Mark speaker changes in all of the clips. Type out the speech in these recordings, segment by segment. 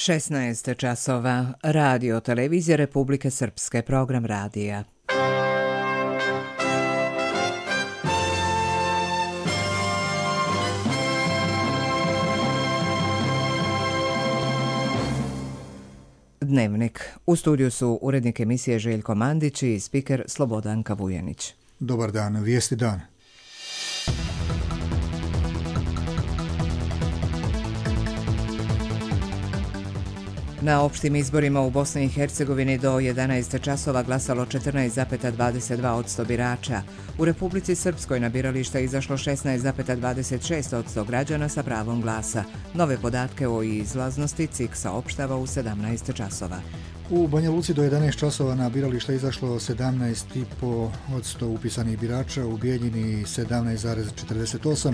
Speaker 1: 16 časova. Radio televizija Republike Srpske, program radija. Dnevnik. U studiju su urednik emisije Željko Mandić i spiker Slobodanka Vujanić.
Speaker 2: Dobar dan, vijesti dan.
Speaker 1: Na opštim izborima u Bosni i Hercegovini do 11 časova glasalo 14,22% birača. U Republici Srpskoj na birališta izašlo 16,26% građana sa pravom glasa. Nove podatke o izlaznosti CIK saopštava u 17 časova.
Speaker 2: U Banja Luci do 11 časova na birališta izašlo 17,5% upisanih birača, u Bijeljini 17,48%,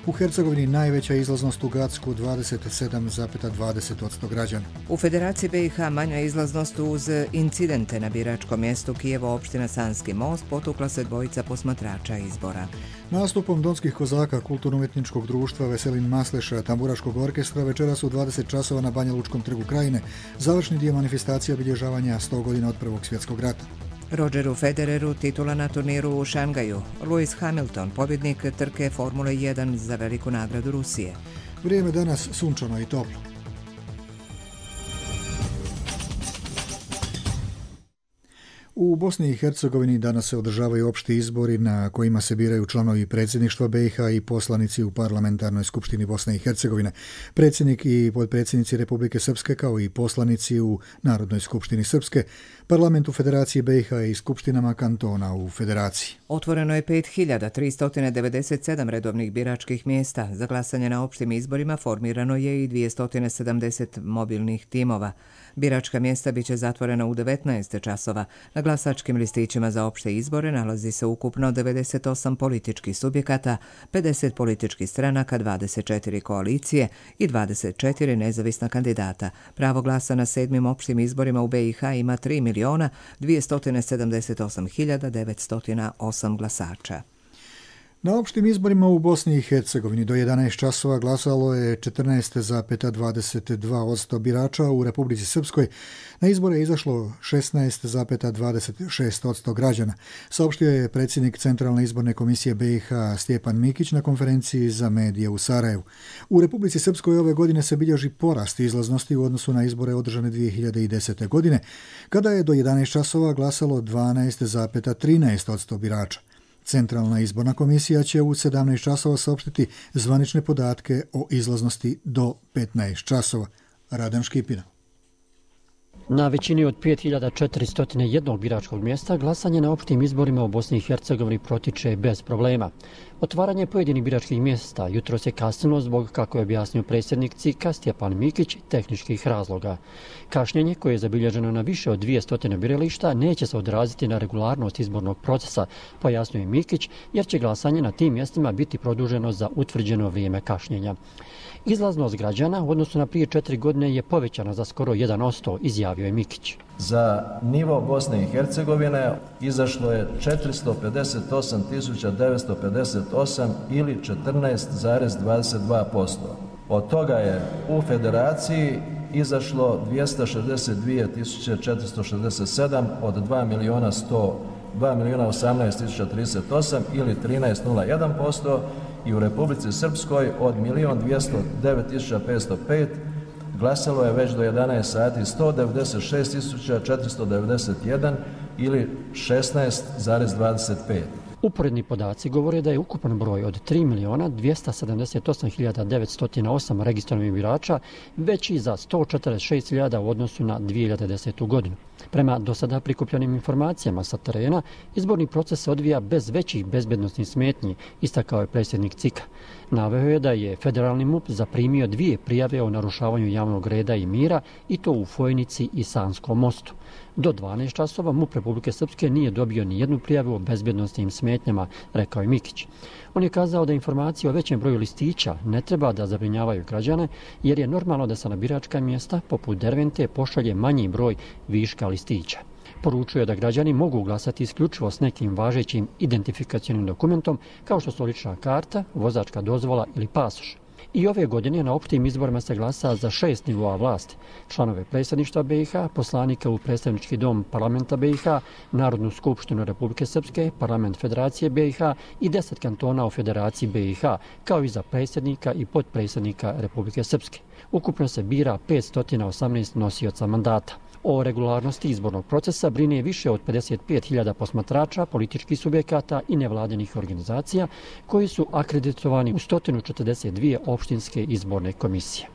Speaker 2: u Hercegovini najveća izlaznost u Gacku 27,20% građana.
Speaker 1: U Federaciji BiH manja izlaznost uz incidente na biračkom mjestu Kijevo, opština Sanski most, potukla se dvojica posmatrača izbora.
Speaker 2: Nastupom Donskih kozaka kulturno-umjetničkog društva Veselin Masleša tamburaškog orkestra večeras u 20 časova na Banja Lučkom trgu Krajine završni dio manifestacije obilježavanja 100 godina od Prvog svjetskog rata.
Speaker 1: Rogeru Federeru titula na turniru u Šangaju. Lewis Hamilton, pobjednik trke Formule 1 za veliku nagradu Rusije.
Speaker 2: Vrijeme danas sunčano i toplo. U Bosni i Hercegovini danas se održavaju opšti izbori na kojima se biraju članovi predsjedništva BiH i poslanici u Parlamentarnoj skupštini Bosne i Hercegovine, predsjednik i potpredsjednici Republike Srpske kao i poslanici u Narodnoj skupštini Srpske, parlamentu Federacije BiH i skupštinama kantona u Federaciji.
Speaker 1: Otvoreno je 5397 redovnih biračkih mjesta. Za glasanje na opštim izborima formirano je i 270 mobilnih timova. Biračka mjesta biće zatvorena u 19 časova. Na glasačkim listićima za opšte izbore nalazi se ukupno 98 političkih subjekata, 50 političkih stranaka, 24 koalicije i 24 nezavisna kandidata. Pravo glasa na 7. opštim izborima u BiH ima 3.278.908 glasača.
Speaker 2: Na opštim izborima u Bosni i Hercegovini do 11 časova glasalo je 14,22% birača, u Republici Srpskoj na izbore je izašlo 16,26% građana, saopštio je predsjednik Centralne izborne komisije BiH Stjepan Mikić na konferenciji za medije u Sarajevu. U Republici Srpskoj ove godine se bilježi porast izlaznosti u odnosu na izbore održane 2010. godine, kada je do 11 časova glasalo 12,13% birača. Centralna izborna komisija će u 17 časova saopštiti zvanične podatke o izlaznosti do 15 časova. Radan Škipina.
Speaker 3: Na većini od 5401 biračkog mjesta glasanje na opštim izborima u Bosni i Hercegovini protiče bez problema. Otvaranje pojedinih biračkih mjesta jutros je kasnilo zbog, kako je objasnio predsjednik CIK-a Stjepan Mikić, tehničkih razloga. Kašnjenje koje je zabilježeno na više od 200 birališta neće se odraziti na regularnost izbornog procesa, pojasnio je Mikić, jer će glasanje na tim mjestima biti produženo za utvrđeno vrijeme kašnjenja. Izlaznost građana u odnosu na prije 4 godine je povećana za skoro 1%, izjavio je Mikić.
Speaker 4: Za nivo Bosne i Hercegovine izašlo je 458.958 ili 14,22%. Od toga je u Federaciji izašlo 262.467 od 2.018.038 ili 13,01%. I u Republici Srpskoj od 1.209.505 glasalo je već do 11 sati 196.491 ili 16,25%.
Speaker 3: Uporedni podaci govore da je ukupan broj od 3.278.908 registrovanih birača veći za 146.000 u odnosu na 2010. godinu. Prema do sada prikupljenim informacijama sa terena, izborni proces se odvija bez većih bezbednosnih smetnji, istakao je predsjednik CIK-a. Naveo je da je federalni MUP zaprimio 2 prijave o narušavanju javnog reda i mira, i to u Fojnici i Sanskom mostu. Do 12 časova MUP Republike Srpske nije dobio ni jednu prijavu o bezbednosnim smetnjama, rekao je Mikić. On je kazao da informacije o većem broju listića ne treba da zabrinjavaju građane, jer je normalno da se na biračka mjesta poput Dervente pošalje manji broj viška listića. Poručuje da građani mogu glasati isključivo s nekim važećim identifikacionim dokumentom, kao što su lična karta, vozačka dozvola ili pasoš. I ove godine na opštim izborima se glasa za 6 nivoa vlasti. Članove predsjedništva BiH, poslanika u predstavnički dom parlamenta BiH, Narodnu skupštinu Republike Srpske, parlament Federacije BiH i 10 kantona u Federaciji BiH, kao i za predsjednika i potpredsjednika Republike Srpske. Ukupno se bira 518 nosioca mandata. O regularnosti izbornog procesa brine više od 55.000 posmatrača, političkih subjekata i nevladinih organizacija koji su akreditovani u 142 opštinske izborne komisije.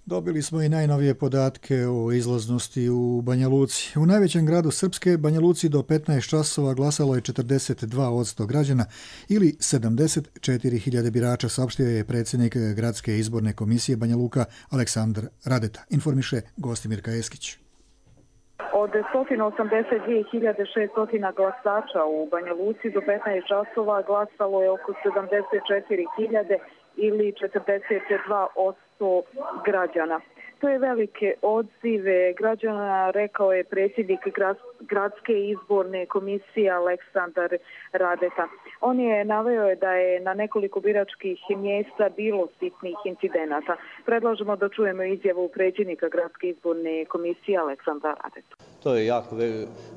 Speaker 2: Dobili smo i najnovije podatke o izlaznosti u Banja Luci. U najvećem gradu Srpske, Banja Luci, do 15 časova glasalo je 42% građana ili 74.000 birača, saopštio je predsjednik Gradske izborne komisije Banja Luka Aleksandar Radeta. Informiše Gostimirka Eskić.
Speaker 5: Od 182.600 glasača u Banja Luci do 15 časova glasalo je oko 74.000 ili 42% građana. To je velike odzive građana, rekao je predsjednik Gradske izborne komisije Aleksandar Radeta. On je naveo da je na nekoliko biračkih mjesta bilo sitnih incidenata. Predlažemo da čujemo izjavu predsjednika Gradske izborne komisije Aleksandra Radeta.
Speaker 6: To je jako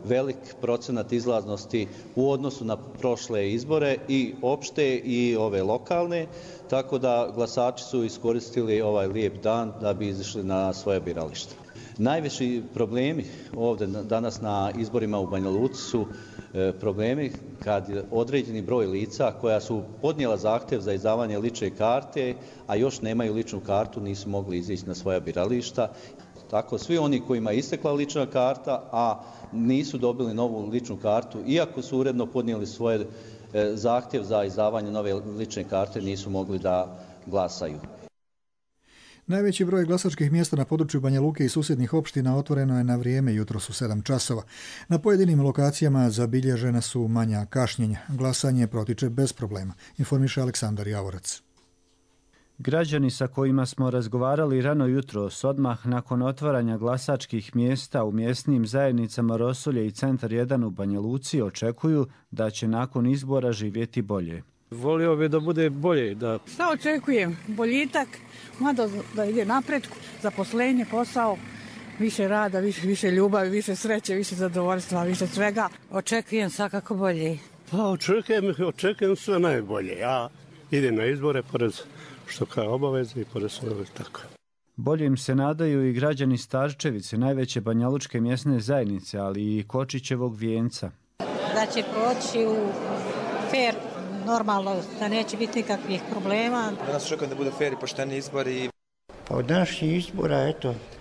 Speaker 6: velik procenat izlaznosti u odnosu na prošle izbore i opšte i ove lokalne, tako da glasači su iskoristili ovaj lijep dan da bi izišli na svoje biralište. Najveći problemi ovdje danas na izborima u Banja Luci su problemi kad određeni broj lica koja su podnijela zahtjev za izdavanje lične karte, a još nemaju ličnu kartu, nisu mogli izići na svoja birališta. Tako, svi oni kojima je istekla lična karta, a nisu dobili novu ličnu kartu, iako su uredno podnijeli svoj zahtjev za izdavanje nove lične karte, nisu mogli da glasaju.
Speaker 2: Najveći broj glasačkih mjesta na području Banja Luke i susjednih opština otvoreno je na vrijeme, jutros u 7 časova. Na pojedinim lokacijama zabilježena su manja kašnjenja. Glasanje protiče bez problema, informiše Aleksandar Javorac.
Speaker 7: Građani sa kojima smo razgovarali rano jutros, odmah nakon otvaranja glasačkih mjesta u mjesnim zajednicama Rosulje i Centar 1 u Banja Luci, očekuju da će nakon izbora živjeti bolje.
Speaker 8: Volio bi da bude bolje.
Speaker 9: Šta očekujem? Boljitak, mada da ide napred, zaposlenje, posao, više rada, više ljubavi, više sreće, više zadovoljstva, više svega.
Speaker 10: Očekujem svakako bolje.
Speaker 8: Pa očekujem sve najbolje. Ja idem na izbore pored što kao obaveze i pored svoje tako.
Speaker 7: Boljim se nadaju i građani Starčevice, najveće banjalučke mjesne zajednice, ali i Kočićevog Vijenca.
Speaker 10: Da će proći u fair, normalno, da neće biti nikakvih problema.
Speaker 11: Danas očekujem da bude fair i pošteni izbori.
Speaker 12: Pa od naših izbora,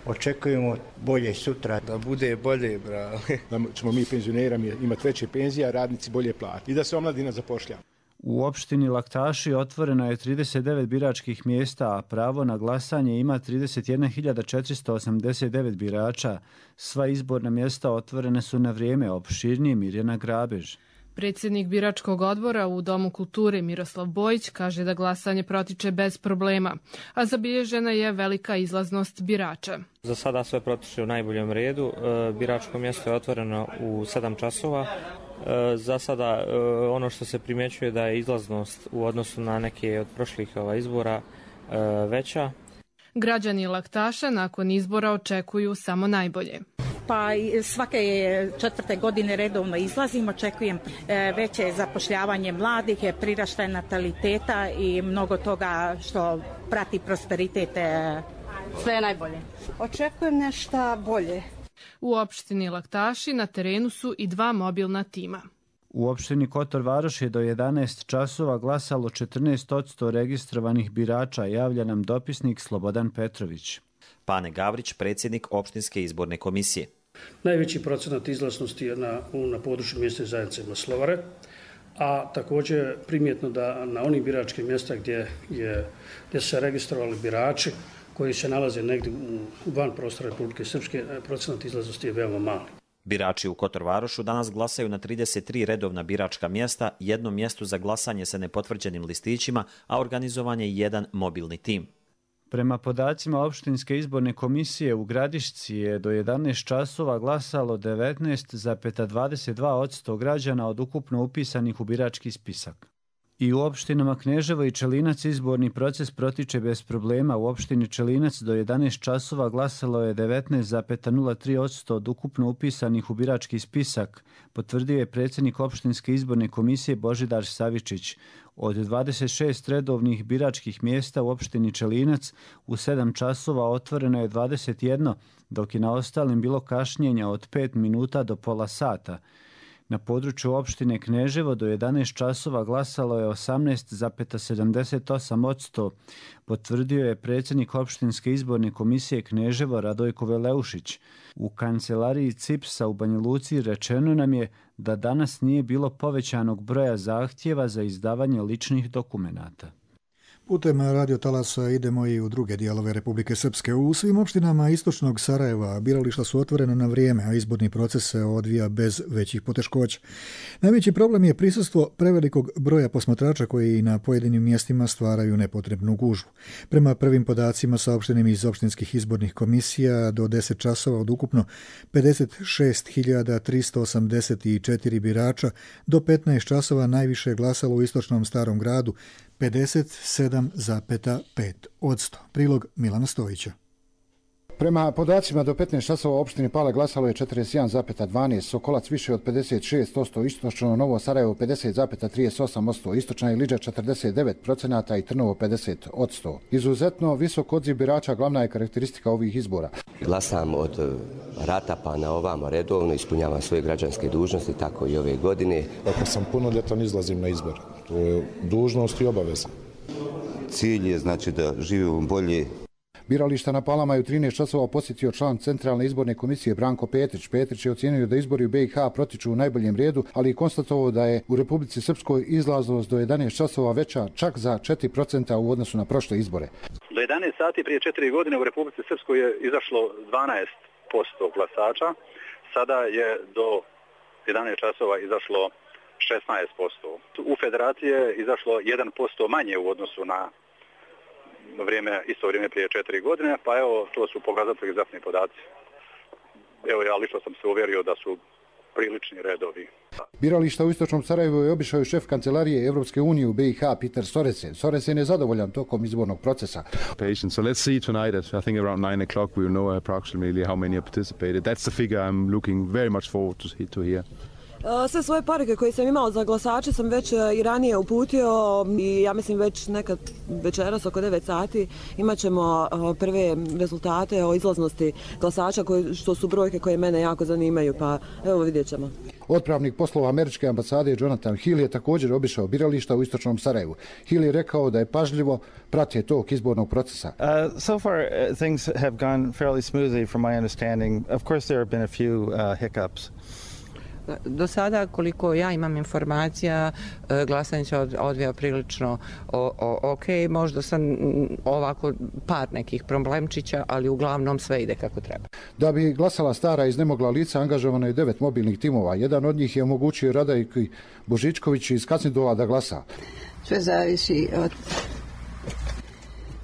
Speaker 12: očekujemo bolje sutra.
Speaker 13: Da bude bolje, bravo. Da ćemo mi penzionerami imati veće penzije, a radnici bolje plati. I da se omladina zapošljava.
Speaker 7: U opštini Laktaši otvoreno je 39 biračkih mjesta, a pravo na glasanje ima 31.489 birača. Sva izborna mjesta otvorene su na vrijeme, opširnije Mirjana Grabež.
Speaker 14: Predsjednik biračkog odbora u Domu kulture Miroslav Bojić kaže da glasanje protiče bez problema, a zabilježena je velika izlaznost birača.
Speaker 15: Za sada sve protiče u najboljem redu. Biračko mjesto je otvoreno u 7 časova. Za sada ono što se primjećuje da je izlaznost u odnosu na neke od prošlih izbora veća. Građani Laktaša nakon izbora očekuju samo najbolje.
Speaker 16: Pa svake 4. godine redovno izlazim, očekujem veće zapošljavanje mladih, priraštaj nataliteta i mnogo toga što prati prosperitet.
Speaker 17: Sve je najbolje. Očekujem nešto bolje.
Speaker 14: U opštini Laktaši na terenu su i 2 mobilna tima.
Speaker 7: U opštini Kotor Varoš je do 11 časova glasalo 14% registrovanih birača, javlja nam dopisnik Slobodan Petrović.
Speaker 18: Pane Gavrić, predsjednik opštinske izborne komisije.
Speaker 19: Najveći procenat izlaznosti je na području mjesne zajednice Maslovare, a također primjetno da na onim biračkim mjesta gdje se registrovali birači koji se nalaze negdje van prostora Republike Srpske, procenat izlaznosti je veoma mali.
Speaker 18: Birači u Kotor Varošu danas glasaju na 33 redovna biračka mjesta, jedno mjesto za glasanje sa nepotvrđenim listićima, a organizovan je jedan mobilni tim.
Speaker 7: Prema podacima opštinske izborne komisije u Gradišci je do 11 časova glasalo 19,22% građana od ukupno upisanih u birački spisak. I u opštinama Kneževo i Čelinac izborni proces protiče bez problema. U opštini Čelinac do 11 časova glasalo je 19,03% od ukupno upisanih u birački spisak, potvrdio je predsjednik opštinske izborne komisije Božidar Savičić. Od 26 redovnih biračkih mjesta u opštini Čelinac u 7 časova otvoreno je 21, dok je na ostalim bilo kašnjenja od 5 minuta do pola sata. Na području opštine Kneževo do 11 časova glasalo je 18,78%, potvrdio je predsjednik opštinske izborne komisije Kneževo Radojko Veleušić. U kancelariji CIPS-a u Banja Luci rečeno nam je da danas nije bilo povećanog broja zahtjeva za izdavanje ličnih dokumenata.
Speaker 2: Putem radio talasa idemo i u druge dijelove Republike Srpske. U svim opštinama istočnog Sarajeva birališta su otvorena na vrijeme, a izborni proces se odvija bez većih poteškoća. Najveći problem je prisustvo prevelikog broja posmatrača koji na pojedinim mjestima stvaraju nepotrebnu gužvu. Prema prvim podacima saopštenim iz opštinskih izbornih komisija, do 10 časova od ukupno 56.384 birača, do 15 časova najviše je glasalo u istočnom Starom gradu, 57,5%. Prilog Milana Stojića.
Speaker 20: Prema podacima do 15 časova u opštini Pale glasalo je 41,12%, Sokolac više od 56%, istočno Novo Sarajevo 50,38%, istočna Ilidža 49% i Trnovo 50%. Izuzetno visok odziv birača glavna je karakteristika ovih izbora.
Speaker 21: Glasam od rata pa na ovamo redovno, ispunjavam svoje građanske dužnosti, tako i ove godine.
Speaker 22: Ako sam punoljetan, izlazim na izbor. To je dužnost i obaveza.
Speaker 23: Cilj je znači da živimo bolje.
Speaker 20: Birališta na Palama je u 13 časova posjetio član Centralne izborne komisije Branko Petrić. Petrić je ocijenio da izbori u BiH protiču u najboljem redu, ali i konstatovao da je u Republici Srpskoj izlaznost do 11 časova veća čak za 4% u odnosu na prošle izbore.
Speaker 24: Do 11 sati prije 4 godine u Republici Srpskoj je izašlo 12% glasača, sada je do 11 časova izašlo 16%. U Federaciji je izašlo 1% manje u odnosu na isto vrijeme prije 4 godine, pa evo, to su pokazatelji egzaktni podaci. Evo, ja lično sam se uvjerio da su prilični redovi.
Speaker 20: Birališta u istočnom Sarajevu je obišao i šef kancelarije Evropske unije u BiH Peter Soresen. Soresen je zadovoljan tokom izbornog procesa.
Speaker 25: So let's see tonight at I think around 9 o'clock we will know approximately how many have participated. That's the figure I'm looking very much forward to hear.
Speaker 26: Sve svoje poruke koje sam imao za glasače sam već i ranije uputio i ja mislim već nekad večeras oko 9 sati imat ćemo prve rezultate o izlaznosti glasača, što su brojke koje mene jako zanimaju, pa evo vidjet ćemo.
Speaker 20: Otpravnik poslova američke ambasade Jonathan Hill je također obišao birališta u istočnom Sarajevu. Hill je rekao da je pažljivo pratio tok izbornog procesa.
Speaker 27: So far things have gone fairly smoothly from my understanding. Of course there have been a few hiccups.
Speaker 28: Do sada, koliko ja imam informacija, glasanje se odvija prilično ok. Možda sam ovako par nekih problemčića, ali uglavnom sve ide kako treba.
Speaker 20: Da bi glasala stara iznemogla lica, angažovano je 9 mobilnih timova. Jedan od njih je omogućio Radajki Božičković iz Kacindola da glasa.
Speaker 29: Sve zavisi od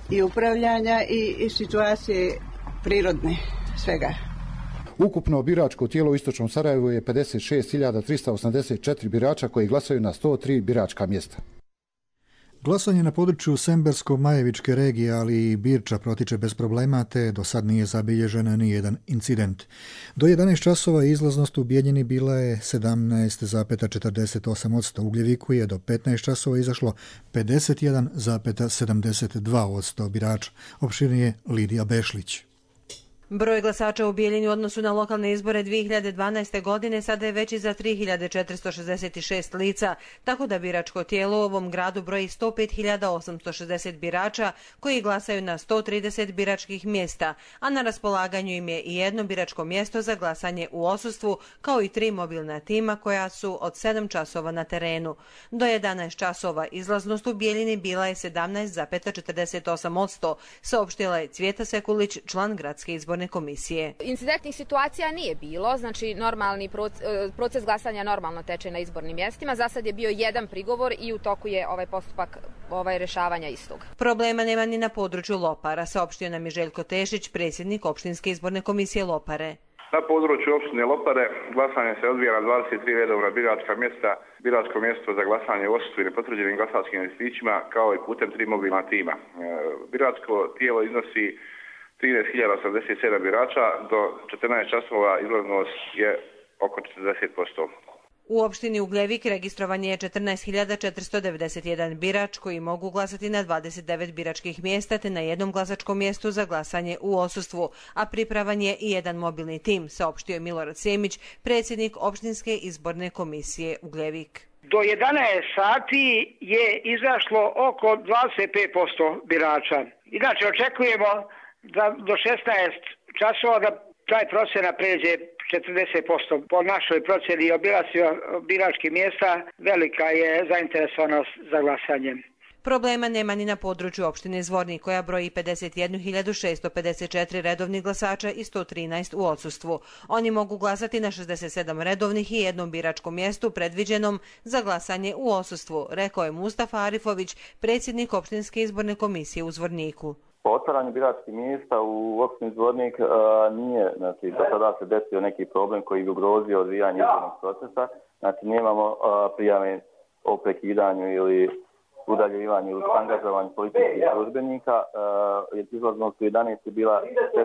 Speaker 29: i upravljanja i situacije prirodne, svega.
Speaker 20: Ukupno biračko tijelo u istočnom Sarajevu je 56.384 birača koji glasaju na 103 biračka mjesta.
Speaker 2: Glasanje na području Sembersko-Majevičke regije, ali i Birča protiče bez problema, te do sad nije zabilježen ni jedan incident. Do 11 časova izlaznost u Bijeljini bila je 17,48%, u Gljeviku je do 15 časova izašlo 51,72% birača. Opširnije Lidija Bešlić.
Speaker 30: Broj glasača u Bijeljini u odnosu na lokalne izbore 2012. godine sada je veći za 3466 lica, tako da biračko tijelo u ovom gradu broji 105.860 birača koji glasaju na 130 biračkih mjesta, a na raspolaganju im je i jedno biračko mjesto za glasanje u odsustvu, kao i 3 mobilna tima koja su od 7 časova na terenu. Do 11 časova izlaznost u Bijeljini bila je 17,48%, saopštila je Cvjeta Sekulić, član gradske izborne komisije.
Speaker 31: Incidentnih situacija nije bilo, znači normalni proces glasanja normalno teče na izbornim mjestima. Za sad je bio jedan prigovor i u toku je ovaj postupak rješavanja istog.
Speaker 30: Problema nema ni na području Lopara, saopštio nam je Željko Tešić, predsjednik opštinske izborne komisije Lopare.
Speaker 1: Na području opštine Lopare glasanje se odvija na 23 redovna biračka mjesta, biračko mjesto za glasanje u odsustvu i nepotvrđenim glasačkim listićima, kao i putem 3 mobilna tima. Biračko tijelo iznosi 13.087 birača, do 14 časova izlaznost je oko 40%.
Speaker 30: U opštini Ugljevik registrovan je 14.491 birač koji mogu glasati na 29 biračkih mjesta te na jednom glasačkom mjestu za glasanje u odsustvu, a pripravan je i jedan mobilni tim, saopštio je Milorad Semić, predsjednik opštinske izborne komisije Ugljevik.
Speaker 3: Do 11 sati je izašlo oko 25% birača. Inače očekujemo da do 16 časova da taj procenat pređe 40%. Po našoj procjeni obilaska biračkih mjesta velika je zainteresovanost za glasanje.
Speaker 30: Problema nema ni na području opštine Zvornik koja broji 51.654 redovnih glasača i 113 u odsustvu. Oni mogu glasati na 67 redovnih i jednom biračkom mjestu predviđenom za glasanje u odsustvu, rekao je Mustafa Arifović, predsjednik opštinske izborne komisije u Zvorniku.
Speaker 4: Po otvaranju biračkih mjesta u opštini Zvornik nije, znači, do sada se desio neki problem koji bi ugrozio odvijanje izbornog procesa. Znači, nemamo prijave o prekidanju ili udaljivanju ili angažovanju policijskih službenika. Izlaznost u 11 je bila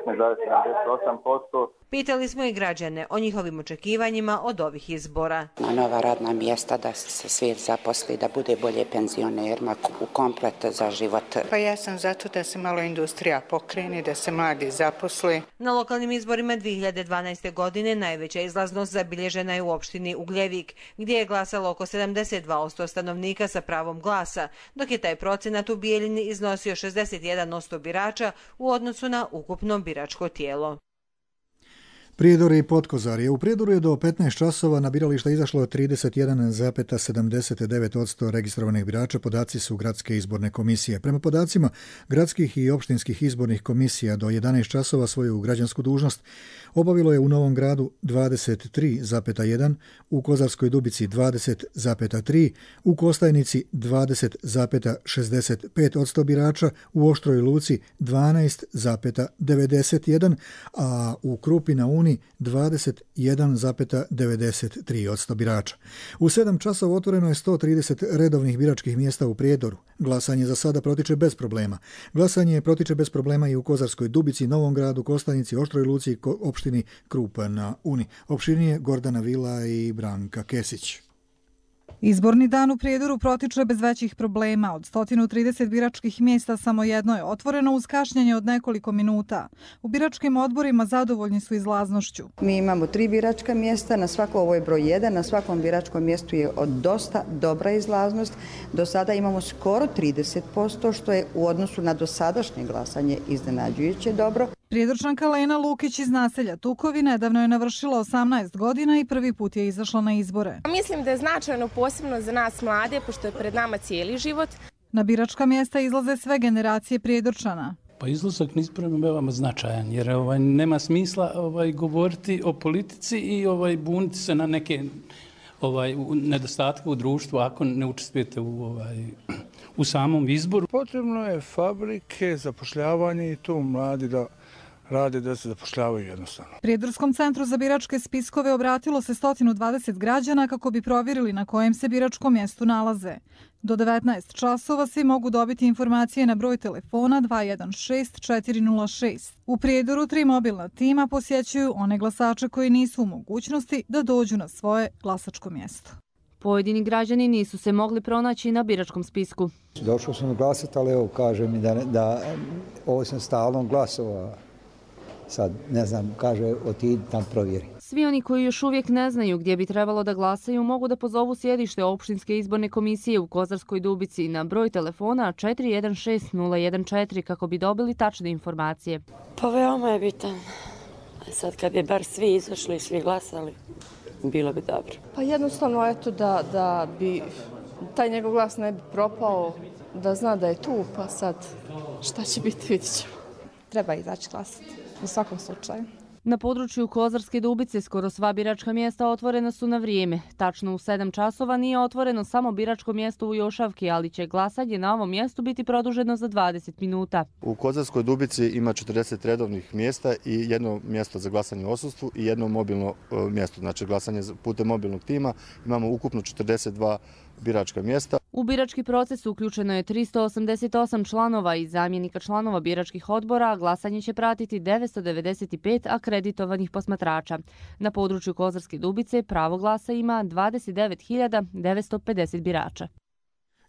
Speaker 4: 16,78%.
Speaker 30: Pitali smo i građane o njihovim očekivanjima od ovih izbora.
Speaker 5: Na nova radna mjesta, da se svijet zaposli, da bude bolje penzionerima, u komplet za život.
Speaker 6: Pa ja sam zato da se malo industrija pokrene, da se mladi zaposli.
Speaker 30: Na lokalnim izborima 2012. godine najveća izlaznost zabilježena je u opštini Ugljevik, gdje je glasalo oko 72% stanovnika sa pravom glasa, dok je taj procenat u Bijeljini iznosio 61% birača u odnosu na ukupno biračko tijelo.
Speaker 2: Prijedor i Potkozarje. U Prijedoru je do 15 časova na birališta izašlo 31,79% registrovanih birača, podaci su Gradske izborne komisije. Prema podacima gradskih i opštinskih izbornih komisija do 11 časova svoju građansku dužnost obavilo je u Novom Gradu 23,1%, u Kozarskoj Dubici 20,3%, u Kostajnici 20,65% birača, u Oštroj Luci 12,91%, a u Krupi na Uni 21,93% birača. U 7 časova otvoreno je 130 redovnih biračkih mjesta u Prijedoru. Glasanje za sada protiče bez problema. Glasanje protiče bez problema i u Kozarskoj Dubici, Novom Gradu, Kostajnici, Oštroj Luci i opštini Krupa na Uni. Opštinije Gordana Vila i Branka Kesić.
Speaker 8: Izborni dan u Prijedoru protiče bez većih problema. Od 130 biračkih mjesta samo jedno je otvoreno uz kašnjenje od nekoliko minuta. U biračkim odborima zadovoljni su izlaznošću.
Speaker 9: Mi imamo 3 biračka mjesta, na svako ovo je broj 1, na svakom biračkom mjestu je dosta dobra izlaznost. Do sada imamo skoro 30%, što je u odnosu na dosadašnje glasanje iznenađujuće dobro.
Speaker 8: Prijedorčanka Lena Lukić iz naselja Tukovi nedavno je navršila 18 godina i prvi put je izašla na izbore.
Speaker 10: Mislim da je značajno posebno za nas mlade, pošto je pred nama cijeli život.
Speaker 8: Na biračka mjesta izlaze sve generacije Prijedorčana.
Speaker 11: Pa izlazak na izbore je veoma značajan, jer nema smisla govoriti o politici i buniti se na neke nedostatke u društvu ako ne učestvujete u samom izboru.
Speaker 12: Potrebno je fabrike, zapošljavanje i tu mladi da rade, da se zapošljavaju jednostavno.
Speaker 8: Prijedorskom centru za biračke spiskove obratilo se 120 građana kako bi provjerili na kojem se biračkom mjestu nalaze. Do 19 časova svi mogu dobiti informacije na broj telefona 216 406. U Prijedoru 3 mobilna tima posjećuju one glasače koji nisu u mogućnosti da dođu na svoje glasačko mjesto.
Speaker 12: Pojedini građani nisu se mogli pronaći na biračkom spisku.
Speaker 13: Došao sam glasati, ali evo kaže mi da ovo sam stalno glasovao. Sad, ne znam, kaže, otidi tam provjeri.
Speaker 12: Svi oni koji još uvijek ne znaju gdje bi trebalo da glasaju mogu da pozovu sjedište opštinske izborne komisije u Kozarskoj Dubici na broj telefona 416014 kako bi dobili tačne informacije.
Speaker 32: Pa veoma je bitan. Sad kad bi bar svi izašli i svi glasali, bilo bi dobro.
Speaker 33: Pa jednostavno, eto, da bi taj njegov glas ne bi propao, da zna da je tu, pa sad šta će biti, vidit ćemo.
Speaker 34: Treba izaći glasati, u svakom slučaju.
Speaker 12: Na području Kozarske Dubice skoro sva biračka mjesta otvorena su na vrijeme. Tačno u 7 časova nije otvoreno samo biračko mjesto u Jošavki, ali će glasanje na ovom mjestu biti produženo za 20 minuta.
Speaker 27: U Kozarskoj Dubici ima 40 redovnih mjesta i jedno mjesto za glasanje u odsustvu i jedno mobilno mjesto, znači glasanje putem mobilnog tima. Imamo ukupno 42 biračka mjesta.
Speaker 12: U birački proces uključeno je 388 članova i zamjenika članova biračkih odbora, a glasanje će pratiti 995 akreditovanih posmatrača. Na području Kozarske Dubice pravo glasa ima 29.950 birača.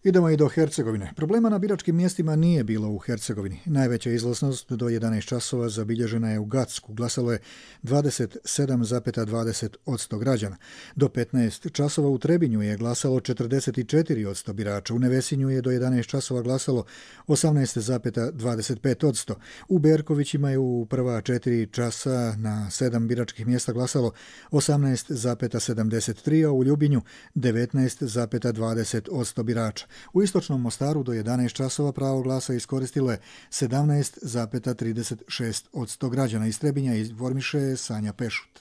Speaker 2: Idemo i do Hercegovine. Problema na biračkim mjestima nije bilo u Hercegovini. Najveća izlaznost do 11 časova zabilježena je u Gacku. Glasalo je 27,20% građana. Do 15 časova u Trebinju je glasalo 44% birača. U Nevesinju je do 11 časova glasalo 18,25%. U Berkovićima je u prva 4 časa na 7 biračkih mjesta glasalo 18,73%, a u Ljubinju 19,20% birača. U istočnom Mostaru do 11 časova pravo glasa iskoristilo je 17,36% građana. Iz Trebinja informiše Sanja Pešut.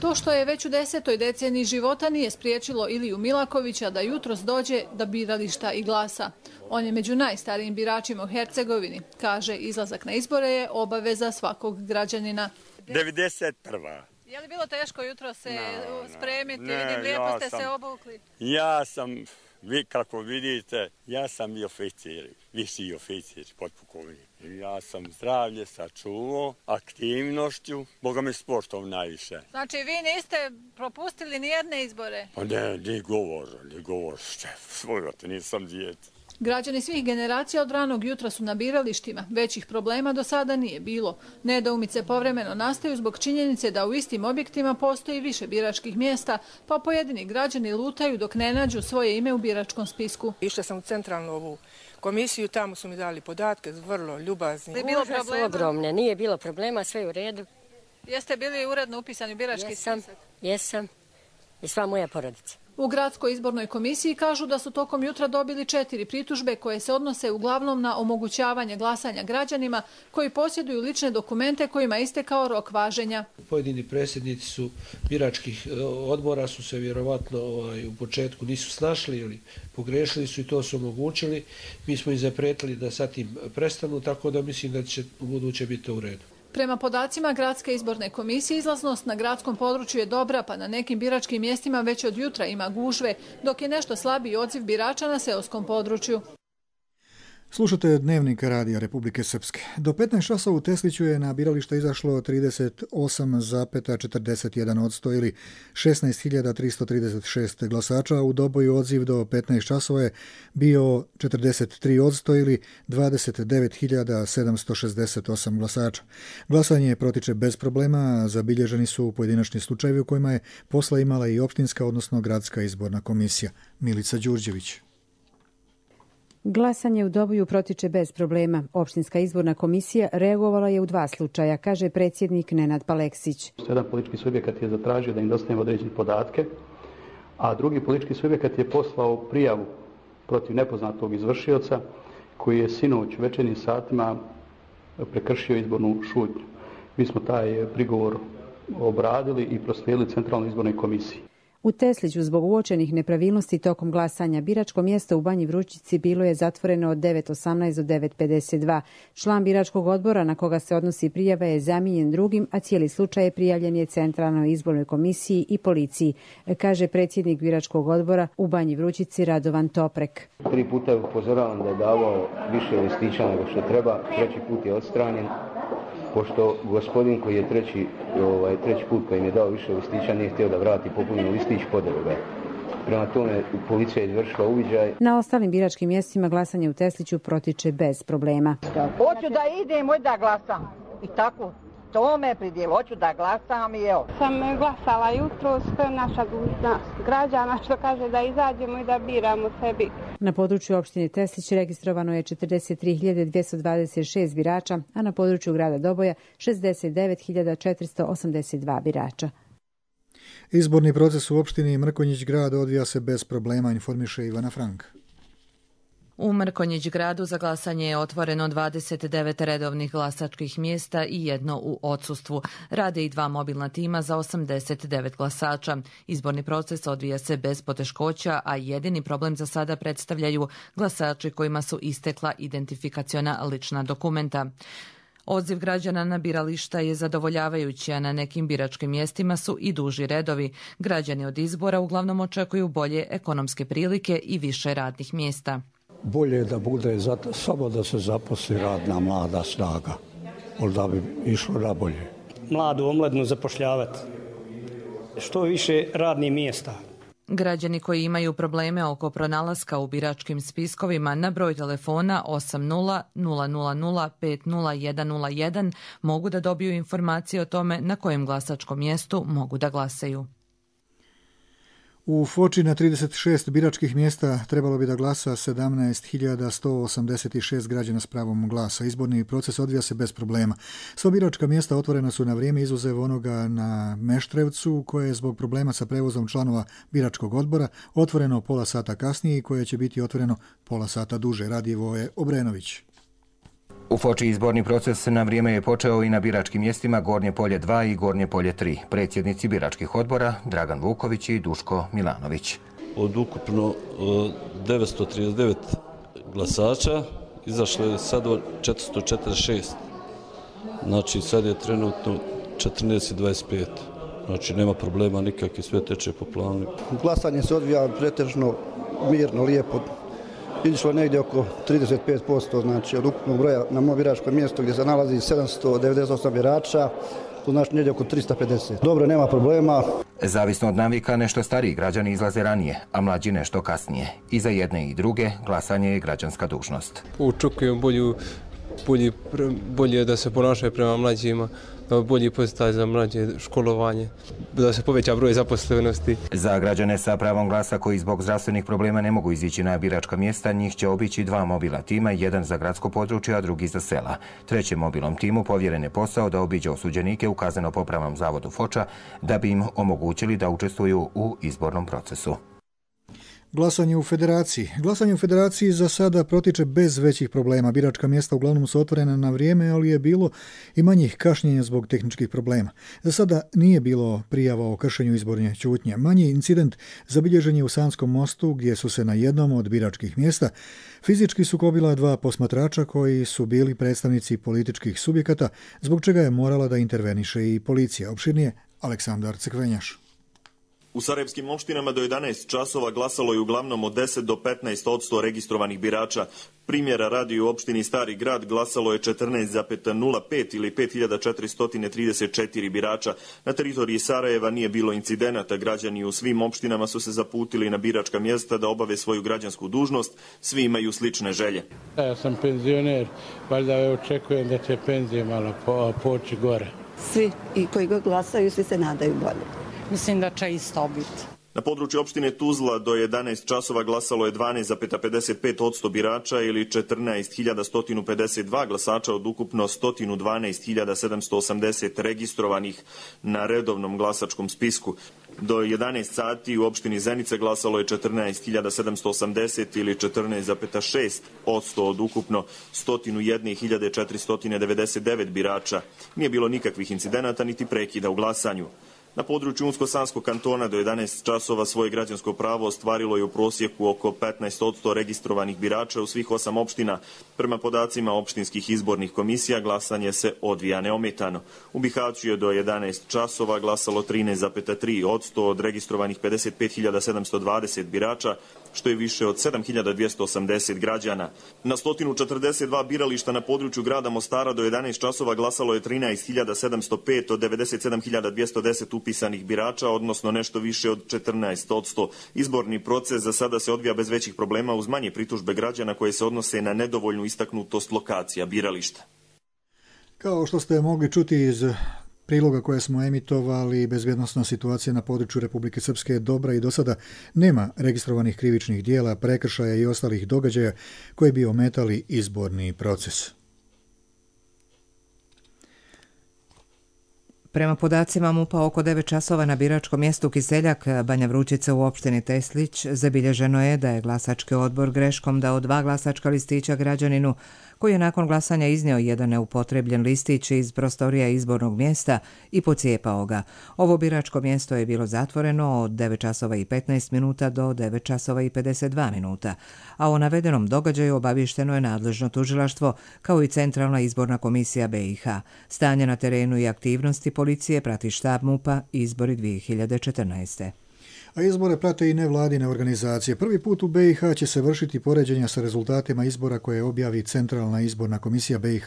Speaker 8: To što je već u 10. deceniji života nije spriječilo Iliju Milakovića da jutros dođe do birališta i glasa. On je među najstarijim biračima u Hercegovini. Kaže, izlazak na izbore je obaveza svakog građanina.
Speaker 7: 91.
Speaker 8: Je li bilo teško jutro se spremiti? Vidim, lijepo ste se obukli.
Speaker 7: Ja sam, kako vidite, ja sam i oficir, viši oficir, potpukovnik. Ja sam zdravlje sačuvao, aktivnošću, boga mi sportom najviše.
Speaker 8: Znači, vi niste propustili nijedne izbore?
Speaker 7: Pa ne, ni govor, svojate, nisam dijete.
Speaker 8: Građani svih generacija od ranog jutra su na biralištima. Većih problema do sada nije bilo. Nedoumice povremeno nastaju zbog činjenice da u istim objektima postoji više biračkih mjesta, pa pojedini građani lutaju dok ne nađu svoje ime u biračkom spisku.
Speaker 14: Išla sam u centralnu ovu komisiju, tamo su mi dali podatke, vrlo ljubazni.
Speaker 15: Gužve su ogromne, nije bilo problema, sve je u redu.
Speaker 8: Jeste bili uredno upisani u birački spisak?
Speaker 15: Jesam. I sva moja porodica.
Speaker 8: U Gradskoj izbornoj komisiji kažu da su tokom jutra dobili 4 pritužbe koje se odnose uglavnom na omogućavanje glasanja građanima koji posjeduju lične dokumente kojima je istekao rok važenja.
Speaker 16: Pojedini predsjednici su biračkih odbora su se vjerovatno u početku nisu snašli ili pogrešili su i to su omogućili. Mi smo im zapretili da sad tim prestanu, tako da mislim da će u buduće biti u redu.
Speaker 8: Prema podacima Gradske izborne komisije, izlaznost na gradskom području je dobra, pa na nekim biračkim mjestima već od jutra ima gužve, dok je nešto slabiji odziv birača na seoskom području.
Speaker 2: Slušate Dnevnik Radija Republike Srpske. Do 15 časova u Tesliću je na biralište izašlo 38,41% ili 16.336 glasača, a u Doboju odziv do 15 časova je bio 43% ili 29.768 glasača. Glasanje protiče bez problema, zabilježeni su pojedinačni slučajevi u kojima je posla imala i opštinska, odnosno gradska izborna komisija. Milica Đurđević.
Speaker 17: Glasanje u Doboju protiče bez problema. Opštinska izborna komisija reagovala je u 2 slučaja, kaže predsjednik Nenad Paleksić.
Speaker 18: Jedan politički subjekat je zatražio da im dostavimo određene podatke, a drugi politički subjekat je poslao prijavu protiv nepoznatog izvršioca koji je sinoć u večernjim satima prekršio izbornu šutnju. Mi smo taj prigovor obradili i proslijedili Centralnoj izbornoj komisiji.
Speaker 17: U Tesliću zbog uočenih nepravilnosti tokom glasanja biračko mjesto u Banji Vrućici bilo je zatvoreno od 9:18 do 9:52. Član biračkog odbora na koga se odnosi prijava je zamijenjen drugim, a cijeli slučaj prijavljen je Centralnoj izbornoj komisiji i policiji, kaže predsjednik biračkog odbora u Banji Vrućici Radovan Toprek.
Speaker 19: 3 puta je upozoravan da je davao više listića nego što treba, 3. put je odstranjen. Pošto gospodin koji je treći put koji im je dao više listića nije htio da vrati popunjeni listić, podero ga. Prema tome, policija je izvršila uviđaj.
Speaker 17: Na ostalim biračkim mjestima glasanje u Tesliću protiče bez problema.
Speaker 21: Hoću da idem, da glasam. I tako, to me pridjelo, hoću da glasam i evo.
Speaker 22: Sam glasala jutro, sve naša dužnost građana što kaže da izađemo i da biramo sebi.
Speaker 17: Na području opštine Teslić registrovano je 43.226 birača, a na području grada Doboja 69.482 birača.
Speaker 2: Izborni proces u opštini Mrkonjić Grad odvija se bez problema, informiše Ivana Frank.
Speaker 1: U Mrkonjić gradu za glasanje je otvoreno 29 redovnih glasačkih mjesta i jedno u odsustvu. Rade i 2 mobilna tima za 89 glasača. Izborni proces odvija se bez poteškoća, a jedini problem za sada predstavljaju glasači kojima su istekla identifikaciona lična dokumenta. Odziv građana na birališta je zadovoljavajući, a na nekim biračkim mjestima su i duži redovi. Građani od izbora uglavnom očekuju bolje ekonomske prilike i više radnih mjesta.
Speaker 3: Bolje je da bude samo da se zaposli radna mlada snaga, da bi išlo na bolje.
Speaker 4: Mladu omladnu zapošljavati, što više radnih mjesta.
Speaker 1: Građani koji imaju probleme oko pronalaska u biračkim spiskovima na broj telefona 80 000 50101 mogu da dobiju informacije o tome na kojem glasačkom mjestu mogu da glasaju.
Speaker 2: U Foči na 36 biračkih mjesta trebalo bi da glasa 17.186 građana s pravom glasa. Izborni proces odvija se bez problema. Sva biračka mjesta otvorena su na vrijeme, izuzev onoga na Meštrevcu, koje je zbog problema sa prevozom članova biračkog odbora otvoreno pola sata kasnije i koje će biti otvoreno pola sata duže. Radijevo je Obrenović.
Speaker 5: U Foči izborni proces na vrijeme je počeo i na biračkim mjestima Gornje polje 2 i Gornje polje 3. Predsjednici biračkih odbora Dragan Vuković i Duško Milanović.
Speaker 6: Od ukupno 939 glasača izašlo je sad 446. Znači sad je trenutno 14:25. Znači nema problema nikakvi, sve teče po planu.
Speaker 20: Glasanje se odvija pretežno mirno, lijepo. Išlo negdje oko 35%, znači od ukupnog broja na mom biračkom mjestu gdje se nalazi 798 birača, to znači negdje oko 350. Dobro, nema problema.
Speaker 5: Zavisno od navika, nešto stariji građani izlaze ranije, a mlađi nešto kasnije. I za jedne i druge glasanje je građanska dužnost.
Speaker 23: Očekujem bolje da se ponašaju prema mlađima, bolji podsticaj za mlađe školovanje, da se poveća broj zaposlenosti.
Speaker 5: Za građane sa pravom glasa koji zbog zdravstvenih problema ne mogu izići na biračka mjesta, njih će obići 2 mobilna tima, jedan za gradsko područje, a drugi za sela. Trećem mobilnom timu povjeren je posao da obiđe osuđenike u kazneno-popravnom zavodu Foča da bi im omogućili da učestvuju u izbornom procesu.
Speaker 2: Glasanje u Federaciji. Glasanje u Federaciji za sada protiče bez većih problema. Biračka mjesta uglavnom su otvorena na vrijeme, ali je bilo i manjih kašnjenja zbog tehničkih problema. Za sada nije bilo prijava o kršenju izborne ćutnje. Manji incident zabilježen je u Sanskom mostu, gdje su se na jednom od biračkih mjesta fizički sukobila 2 posmatrača koji su bili predstavnici političkih subjekata, zbog čega je morala da interveniše i policija. Opširnije Aleksandar Cekvenjaš.
Speaker 24: U sarajevskim opštinama do 11 časova glasalo je uglavnom od 10 do 15% registrovanih birača. Primjera radi u opštini Stari grad glasalo je 14,05 ili 5434 birača. Na teritoriji Sarajeva nije bilo incidenata. Građani u svim opštinama su se zaputili na biračka mjesta da obave svoju građansku dužnost. Svi imaju slične želje.
Speaker 25: Ja sam penzioner, valjda očekujem da će penzije malo poći gore.
Speaker 26: Svi i koji ga glasaju, svi se nadaju bolje.
Speaker 28: Mislim da će isto biti.
Speaker 24: Na području opštine Tuzla do 11 časova glasalo je 12,55% birača ili 14.152 glasača od ukupno 112.780 registrovanih na redovnom glasačkom spisku. Do 11 sati u opštini Zenica glasalo je 14.780 ili 14,6% od ukupno 101.499 birača. Nije bilo nikakvih incidenata niti prekida u glasanju. Na području Unsko-Sanskog kantona do 11 časova svoje građansko pravo ostvarilo je u prosjeku oko 15% registrovanih birača u svih 8 opština. Prema podacima opštinskih izbornih komisija glasanje se odvija neometano. U Bihaću je do 11 časova glasalo 13,3% od registrovanih 55.720 birača, što je više od 7.280 građana. Na 142 birališta na području grada Mostara do 11 časova glasalo je 13.705 od 97.210 upisanih birača, odnosno nešto više od 14%. Izborni proces za sada se odvija bez većih problema uz manje pritužbe građana koje se odnose na nedovoljnu istaknutost lokacija birališta.
Speaker 2: Kao što ste mogli čuti iz priloga koje smo emitovali, bezbjednosna situacija na području Republike Srpske je dobra i do sada nema registrovanih krivičnih dijela, prekršaja i ostalih događaja koji bi ometali izborni proces.
Speaker 7: Prema podacima MUP-a oko 9 časova na biračkom mjestu Kiseljak, Banja Vrućica u opštini Teslić, zabilježeno je da je glasački odbor greškom dao 2 glasačka listića građaninu koji je nakon glasanja iznio jedan neupotrebljen listić iz prostorija izbornog mjesta i pocijepao ga. Ovo biračko mjesto je bilo zatvoreno od 9 časova i 15 minuta do 9 časova i 52 minuta, a o navedenom događaju obavješteno je nadležno tužilaštvo kao i Centralna izborna komisija BiH. Stanje na terenu i aktivnosti policije prati štab MUP-a Izbori 2014.
Speaker 2: A izbore prate i nevladine organizacije. Prvi put u BiH će se vršiti poređenja sa rezultatima izbora koje objavi Centralna izborna komisija BiH,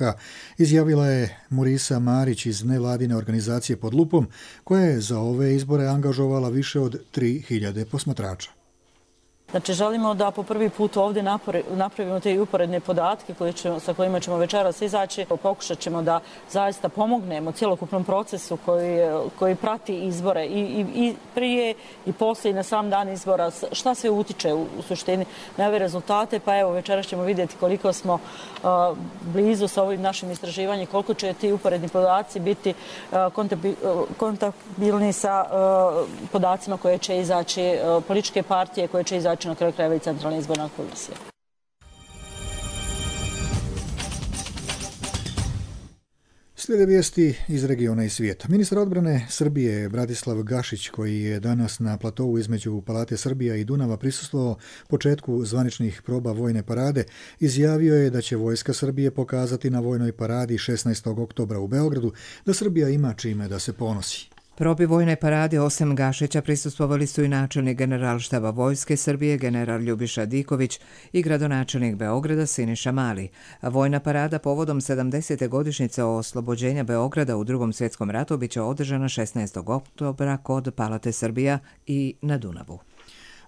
Speaker 2: izjavila je Murisa Marić iz nevladine organizacije Pod lupom, koja je za ove izbore angažovala više od 3000 posmatrača.
Speaker 9: Znači, želimo da po prvi put ovdje napravimo te uporedne podatke sa kojima ćemo večeras izaći. Pokušat ćemo da zaista pomognemo cjelokupnom procesu koji prati izbore i prije i poslije i na sam dan izbora. Šta sve utiče u suštini na ove rezultate? Pa evo, večeras ćemo vidjeti koliko smo blizu sa ovim našim istraživanjem, koliko će ti uporedni podaci biti kontabilni sa podacima koje će izaći, političke partije koje će izaći na kraju krajeva i Centralna izborna komisija.
Speaker 2: Slijede vijesti iz regiona i svijeta. Ministar odbrane Srbije Bratislav Gašić, koji je danas na platovu između Palate Srbija i Dunava prisustvovao početku zvaničnih proba vojne parade, izjavio je da će vojska Srbije pokazati na vojnoj paradi 16. oktobra u Beogradu da Srbija ima čime da se ponosi.
Speaker 7: Probi vojne parade osim Gašića prisustvovali su i načelnik generalštaba vojske Srbije general Ljubiša Diković i gradonačelnik Beograda Siniša Mali. Vojna parada povodom 70. godišnjice oslobođenja Beograda u Drugom svjetskom ratu biće održana 16. oktobra kod Palate Srbija i na Dunavu.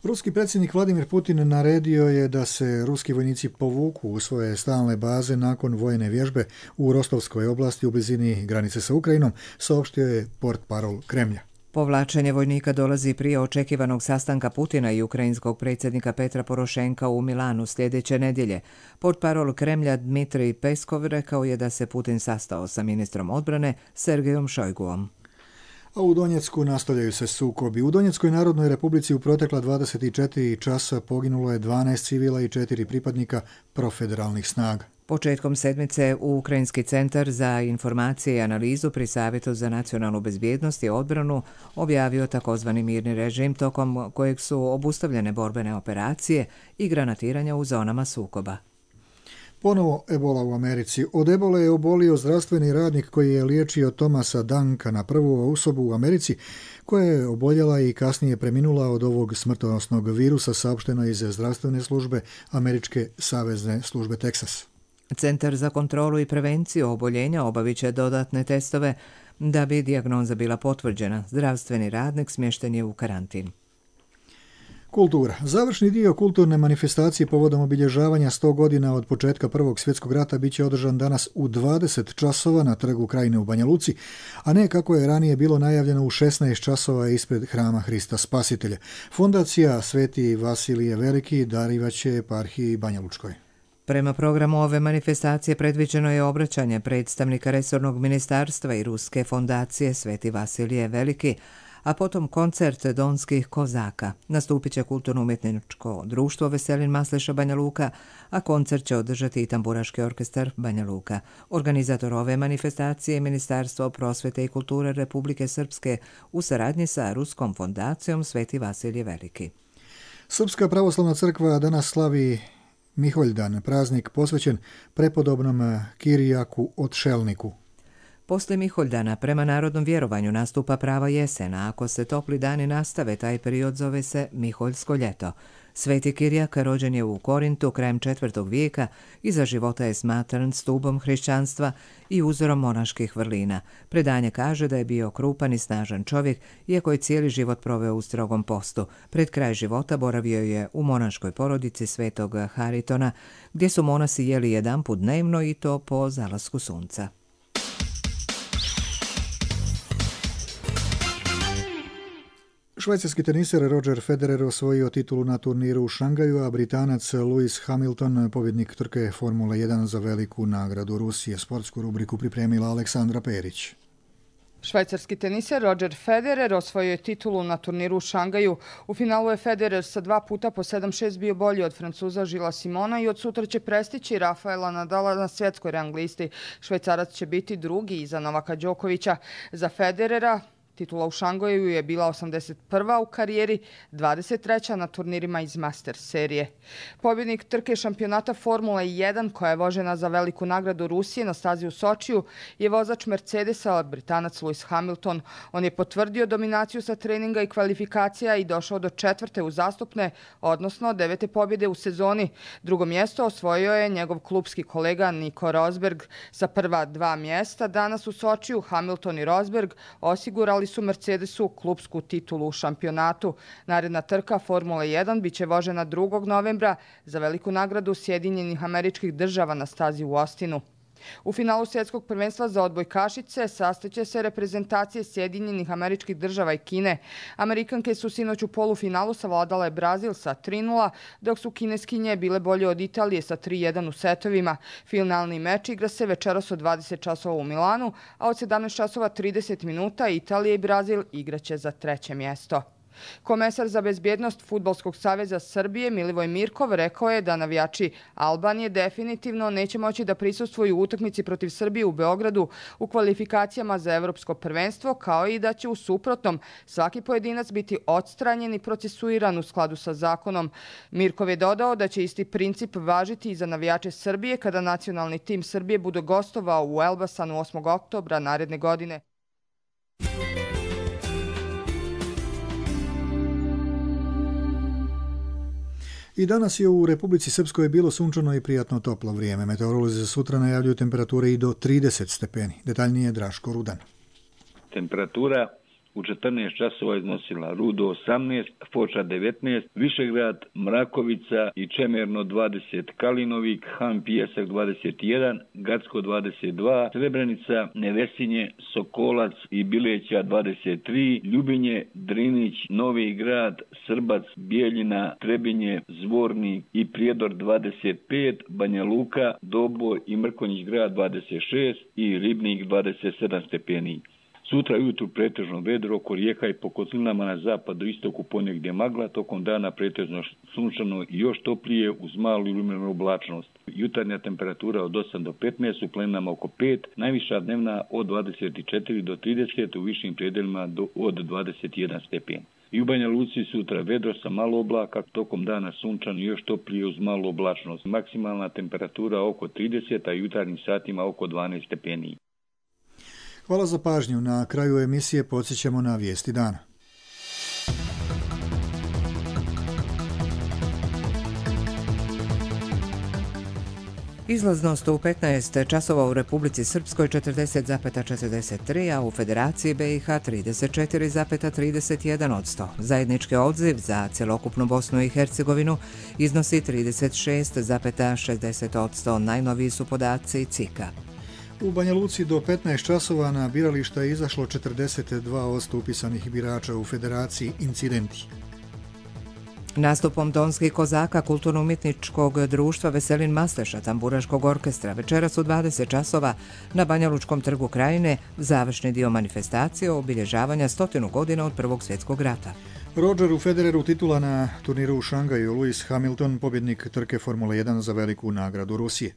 Speaker 2: Ruski predsjednik Vladimir Putin naredio je da se ruski vojnici povuku u svoje stalne baze nakon vojne vježbe u Rostovskoj oblasti u blizini granice sa Ukrajinom, saopštio je portparol Kremlja.
Speaker 7: Povlačenje vojnika dolazi prije očekivanog sastanka Putina i ukrajinskog predsjednika Petra Porošenka u Milanu sljedeće nedjelje. Portparol Kremlja Dmitrij Peskov rekao je da se Putin sastao sa ministrom odbrane Sergejom Šojguom.
Speaker 2: A u Donjecku nastavljaju se sukobi. U Donjeckoj narodnoj republici u protekla 24 časa poginulo je 12 civila i 4 pripadnika profederalnih snaga.
Speaker 7: Početkom sedmice u Ukrajinski centar za informacije i analizu pri Savjetu za nacionalnu bezbjednost i odbranu objavio takozvani mirni režim tokom kojeg su obustavljene borbene operacije i granatiranja u zonama sukoba.
Speaker 2: Ponovo ebola u Americi. Od ebole je obolio zdravstveni radnik koji je liječio Thomasa Duncana, prvu osobu u Americi koja je oboljela i kasnije preminula od ovog smrtonosnog virusa, saopšteno iz zdravstvene službe Američke savezne službe Teksas.
Speaker 7: Centar za kontrolu i prevenciju oboljenja obavit će dodatne testove da bi dijagnoza bila potvrđena. Zdravstveni radnik smješten je u karantin.
Speaker 2: Kultura. Završni dio kulturne manifestacije povodom obilježavanja 100 godina od početka Prvog svjetskog rata biće održan danas u 20 časova na Trgu Krajine u Banja Luci, a ne kako je ranije bilo najavljeno u 16 časova ispred Hrama Hrista Spasitelja. Fondacija Sveti Vasilije Veliki darivaće eparhiji Banja Lučkoj.
Speaker 7: Prema programu ove manifestacije predviđeno je obraćanje predstavnika resornog ministarstva i Ruske fondacije Sveti Vasilije Veliki, a potom koncert donskih kozaka. Nastupit će kulturno-umjetničko društvo Veselin Masleša Banja Luka, a koncert će održati i tamburaški orkestar Banja Luka. Organizator ove manifestacije je Ministarstvo prosvjete i kulture Republike Srpske u saradnji sa Ruskom fondacijom Sveti Vasilije Veliki.
Speaker 2: Srpska pravoslavna crkva danas slavi Miholjdan, praznik posvećen prepodobnom Kirijaku Otšelniku.
Speaker 7: Poslije Miholjdana prema narodnom vjerovanju nastupa prava jesen, a ako se topli dani nastave, taj period zove se Miholjsko ljeto. Sveti Kirijak rođen je u Korintu krajem 4. vijeka i za života je smatran stubom hrišćanstva i uzorom monaških vrlina. Predanje kaže da je bio krupan i snažan čovjek, iako je cijeli život proveo u strogom postu. Pred kraj života boravio je u monaškoj porodici svetog Haritona, gdje su monasi jeli jedanput dnevno i to po zalasku sunca.
Speaker 2: Švajcarski teniser Roger Federer osvojio titulu na turniru u Šangaju, a Britanac Lewis Hamilton, pobjednik trke Formule 1 za veliku nagradu Rusije. Sportsku rubriku pripremila Aleksandra Perić.
Speaker 10: Švajcarski teniser Roger Federer osvojio je titulu na turniru u Šangaju. U finalu je Federer sa 2 puta po 7-6 bio bolji od Francuza Žila Simona i od sutra će prestići Rafaela Nadala na svjetskoj rang listi. Švajcarac će biti drugi iza Novaka Đokovića. Za Federera titula u Šangaju je bila 81. u karijeri, 23. na turnirima iz Masters serije. Pobjednik trke šampionata Formule 1, koja je vožena za veliku nagradu Rusije na stazi u Sočiju, je vozač Mercedesa, Britanac Lewis Hamilton. On je potvrdio dominaciju sa treninga i kvalifikacija i došao do 4. uzastopne, odnosno 9. pobjede u sezoni. Drugo mjesto osvojio je njegov klubski kolega Nico Rosberg. Sa prva 2 mjesta danas u Sočiju Hamilton i Rosberg osigurali su Mercedesu klubsku titulu u šampionatu. Naredna trka Formule 1 biće vožena 2. novembra za veliku nagradu Sjedinjenih Američkih Država na stazi u Austinu. U finalu svjetskog prvenstva za odbojkašice sastaće se reprezentacije Sjedinjenih Američkih Država i Kine. Amerikanke su sinoć u polufinalu savladale Brazil sa 3:0, dok su kineskinje bile bolje od Italije sa 3:1 u setovima. Finalni meč igra se večeras od 20 časova u Milanu, a od 17 časova 30 minuta Italija i Brazil igraće za 3. mjesto. Komesar za bezbjednost Fudbalskog saveza Srbije Milivoj Mirkov rekao je da navijači Albanije definitivno neće moći da prisustvuju u utakmici protiv Srbije u Beogradu u kvalifikacijama za evropsko prvenstvo, kao i da će u suprotnom svaki pojedinac biti odstranjen i procesuiran u skladu sa zakonom. Mirkov je dodao da će isti princip važiti i za navijače Srbije kada nacionalni tim Srbije bude gostovao u Elbasanu 8. oktobra naredne godine.
Speaker 2: I danas je u Republici Srpskoj bilo sunčano i prijatno toplo vrijeme. Meteorolozi za sutra najavljuju temperature i do 30 stepeni. Detaljnije Draško Rudan.
Speaker 11: Temperatura u 14 časova iznosila Rudo 18, Foča 19, Višegrad, Mrakovica i Čemerno 20, Kalinovik, Han Pijesak 21, Gacko 22, Srebrenica, Nevesinje, Sokolac i Bileća 23, Ljubinje, Drinić, Novi Grad, Srbac, Bijeljina, Trebinje, Zvornik i Prijedor 25, Banja Luka, Doboj i Mrkonjić grad 26 i Ribnik 27 stepeni. Sutra jutru pretežno vedro oko rijeka i po kotlinama na zapadu istoku ponegdje magla, tokom dana pretežno sunčano i još toplije uz malu i umjerenu oblačnost. Jutarnja temperatura od 8 do 15, u planinama oko 5, najviša dnevna od 24 do 30, u višim predelima od 21 stepen. I u Banja Luci sutra vedro sa malo oblaka, tokom dana sunčano i još toplije uz malu oblačnost. Maksimalna temperatura oko 30, a jutarnjim satima oko 12 stepeni.
Speaker 2: Hvala za pažnju. Na kraju emisije podsjećamo na vijesti dana.
Speaker 7: Izlaznost u 15 časova u Republici Srpskoj 40,43, a u Federaciji BiH 34,31%. Zajednički odziv za celokupnu Bosnu i Hercegovinu iznosi 36,60%. Najnoviji su podaci CIK-a.
Speaker 2: U Banja Luci do 15 časova na birališta je izašlo 42% upisanih birača, u Federaciji incidenti.
Speaker 7: Nastupom Donskih kozaka kulturno-umjetničkog društva Veselin Masteša tamburaškog orkestra večeras u 20 časova na Banjalučkom trgu Krajine završni dio manifestacije obilježavanja 100 godina od Prvog svjetskog rata.
Speaker 2: Rogeru Federeru titula na turniru u Šangaju, Lewis Hamilton pobjednik trke Formule 1 za veliku nagradu Rusije.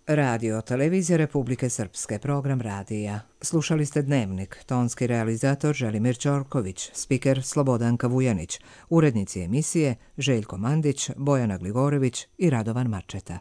Speaker 7: Radio Televizija Republike Srpske, program radija. Slušali ste Dnevnik, tonski realizator Želimir Ćorković, spiker Slobodanka Vujanić, urednici emisije Željko Mandić, Bojana Gligorević i Radovan Mačeta.